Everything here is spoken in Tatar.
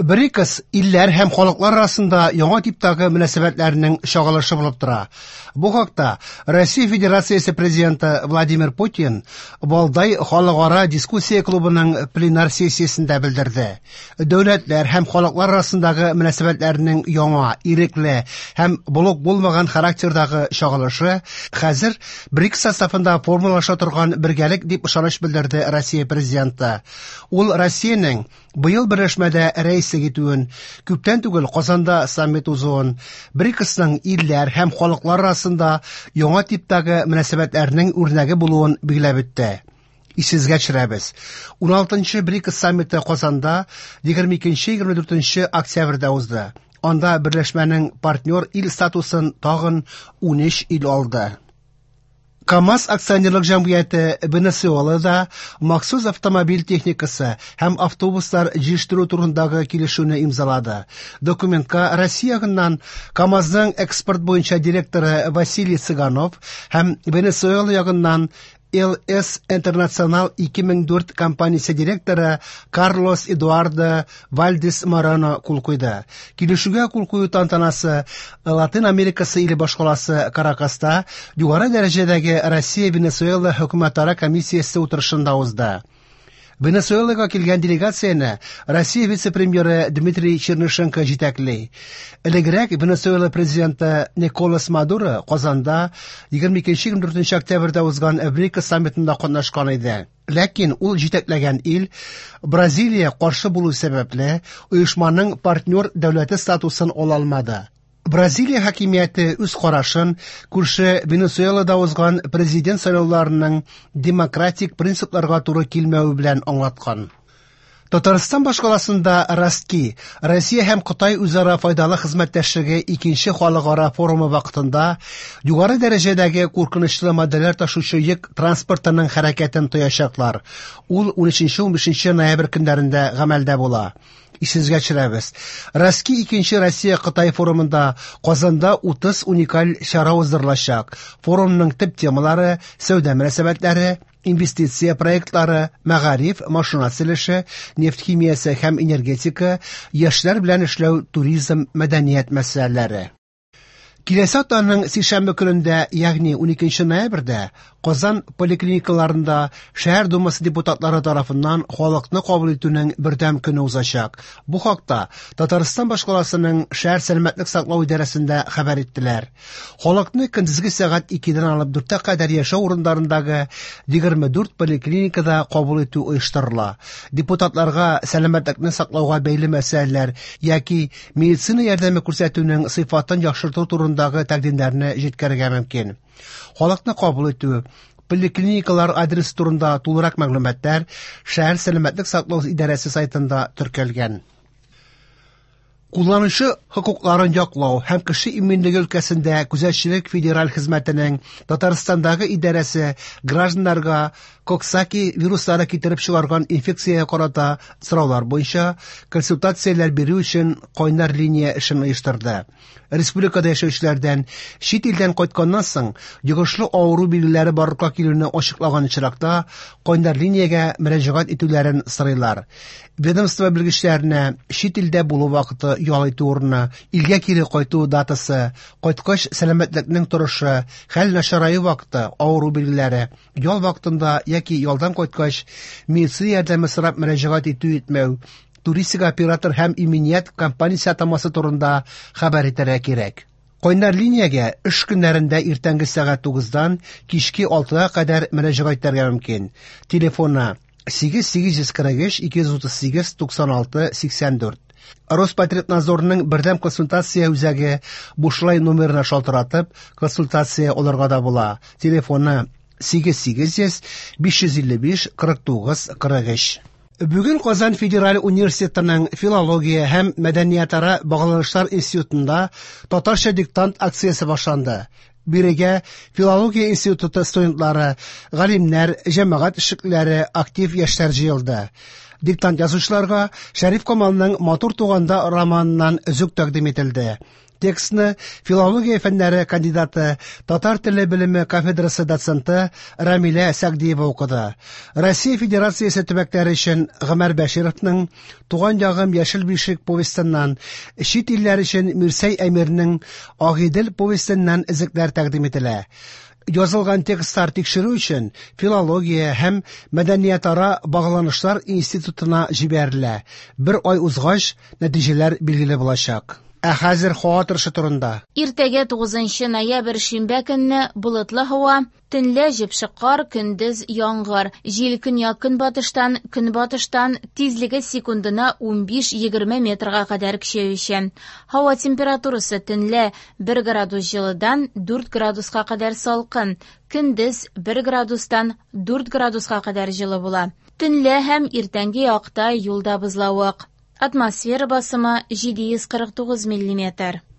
БРИКС илләр һәм халыклар арасында яңа типтагы мөнәсәбәтләрнең чагылышы булып тора. Бу хакта Россия Федерациясе Президенты Владимир Путин Валдай халыкара дискуссия клубының пленар сессиясендә белдерде. Дәүләтләр һәм халыклар арасындагы мөнәсәбәтләрнең яңа, ирекле һәм блок булмаган характердагы чагылышы хәзер БРИКС составында формалаша торган бергәлек дип ышаныч белдерде Россия Президенты. Ул Россиянең быел берләшмәдә рәислек итүен, күптән түгел Казанда саммит узуын, БРИКСның илләр һәм халыклар арасында яңа типтагы мөнәсәбәтләрнең үрнәге булуын билгеләп үтте. Исегезгә төшерәбез. 16-нчы БРИКС саммиты Казанда 22-24 октябрьдә узды. Анда берләшмәнең партнер ил статусын тагын 13 ил алды. КАМАЗ акционерлык җәмгыяте Венесуэлада махсус автомобиль техникасы һәм автобуслар җитештерү турындагы килешүне имзалады. Документка Россия ягыннан КАМАЗның экспорт буенча директоры Василий Цыганов һәм Венесуэла ягыннан LS Internacional 2004 компаниясе директоры Карлос Эдуардо Вальдес Морено кул куйды. Килешүгә кул кую тантанасы Латин Америкасы иле башкаласы Каракаста югары дәрәҗәдәге Россия-Венесуэла хөкүмәтара комиссиясе утырышында узды. Венесуэлага килгән делегацияне Россия вице-премьеры Дмитрий Чернышенко җитәкли. Элегрәк Венесуэла президенты Николас Мадуро Казанда 22-24 октябрьдә узган БРИКС саммитында катнашкан иде. Ләкин ул җитәкләгән ил Бразилия каршы булу сәбәпле оешманың партнер дәүләте статусын ала алмады. Бразилия хакимияте үз карашын күрше Венесуэлада узган президент сайлауларының демократик принципларга туры килмәве белән аңлаткан. Татарстан башкаласында Ростки, Россия һәм Кытай үзара файдалы хезмәттәшлеге икенче халыкара форумы вакытында югары дәрәҗәдәге куркынычлы матдәләр ташучы йөк транспортының хәрәкәтен тоячаклар. Ул 13-15 ноябрь көннәрендә гамәлдә була. Исегезгә төшерәбез. Ростки икенче Россия-Кытай форумында Казанда 30 уникаль чара уздырылачак. Форумның төп темалары сәүдә мөнәсәбәтләре, инвестиция проектлары, мәгариф, машина төзелеше, нефть химиясе һәм энергетика, яшьләр белән эшләү, туризм, мәдәният мәсьәләләре. Киләсе атнаның сишәмбе көнендә, ягъни 12 ноябрьдә Казан поликлиникаларында шәһәр думасы депутатлары тарафыннан халыкны кабул итүнең бердәм көне узачак. Бу хакта Татарстан башкаласының шәһәр сәламәтлек саклау идарәсендә хәбәр иттеләр. Халыкны көндезге сәгать 2-дән алып 4-кә кадәр яшәү урыннарындагы 24 поликлиникада кабул итү оештырыла. Депутатларга сәламәтлекне саклауга бәйле мәсьәләләр яки медицина ярдәме күрсәтүнең сыйфатын яхшырту турындагы тәкъдимнәрне җиткерергә мөмкин. Халыкны кабул итү, поликлиникалар адресы турында тулырак мәгълүматлар шәһәр сәламәтлек саклау идарәсе сайтында теркәлгән. Кулланучы хокукларын яклау һәм кеше иминлеге өлкәсендә күзәтчелек федераль хезмәтенең Татарстандагы идарәсе гражданнарга Коксаки вируслары китереп чыгарган инфекциягә карата сораулар буенча консультацияләр бирү өчен кайнар линия эшен оештырды. Республикада яшәүчеләрдән чит илдән кайтканнан соң йогышлы авыру билгеләре барлыкка килүне ачыклаган очракта кайнар линиягә мөрәҗәгать итүләрен сорыйлар. Ведомство белгечләренә чит илдә булу вакыты, ял итү урыны, илгә кире кайту датасы, кайткач сәламәтлекнең торышы, хәл начараю вакыты, авыру билгеләре, ял вакытында яки ялдан кайткач медицина ярдәме сорап мөрәҗәгать итү-итмәү, туристик оператор һәм иминият компаниясе атамасы турында хәбәр итәргә кирәк. Кайнар линиягә эш көннәрендә иртәнге сәгать 9-дан кичке 6-га кадәр мөрәҗәгать итәргә мөмкин. Телефоны 8 843 238 96 84. Роспотребнадзорның бердәм консультация үзәге бушлай номерына шалтыратып, консультация алырга да була. Телефоны 8800 555 49 43. Бүген Казан федераль университетының филология һәм мәдәниятара багланышлар институтында татарча диктант акциясе башланды. Бирегә филология институты студентлары, галимнәр, җәмәгать эшлеклеләре, актив яшьләр җыелды. Диктант язучыларга Шәриф Камалның Матур туганда романыннан өзек тәкъдим ителде. Текстны филология фәннәре кандидаты, татар теле белеме кафедрасы доценты Рамилә Сәгъдиева укыды. Россия Федерациясе төбәкләре өчен Гомәр Бәшировның Туган ягым яшел бишек повестеннан, чит илләр өчен Мирсәй Әмирнең Агыйдел повестеннан өзекләр тәкъдим ителә. Язылган текстлар тикшерү өчен Филология һәм мәдәниятара багланышлар институтына җибәрелә. Бер ай узгач, нәтиҗәләр билгеле булачак. Ә хәзер һава торышы турында. Иртәгә 9 ноябрь шимбә көнне болытлы һава, төнлә җепшек кар, көндез яңгыр. Җил көньяк-көнбатыштан, көнбатыштан, тизлеге секундына 15-20 метрга кадәр көчәючән. Һава температурасы төнлә 1 градус җылыдан 4 градуска кадәр салкын, көндез 1 градустан 4 градуска кадәр җылы була. Төнлә һәм иртәнге якта юлда бозлавык. Атмосфера басымы 749 миллиметр.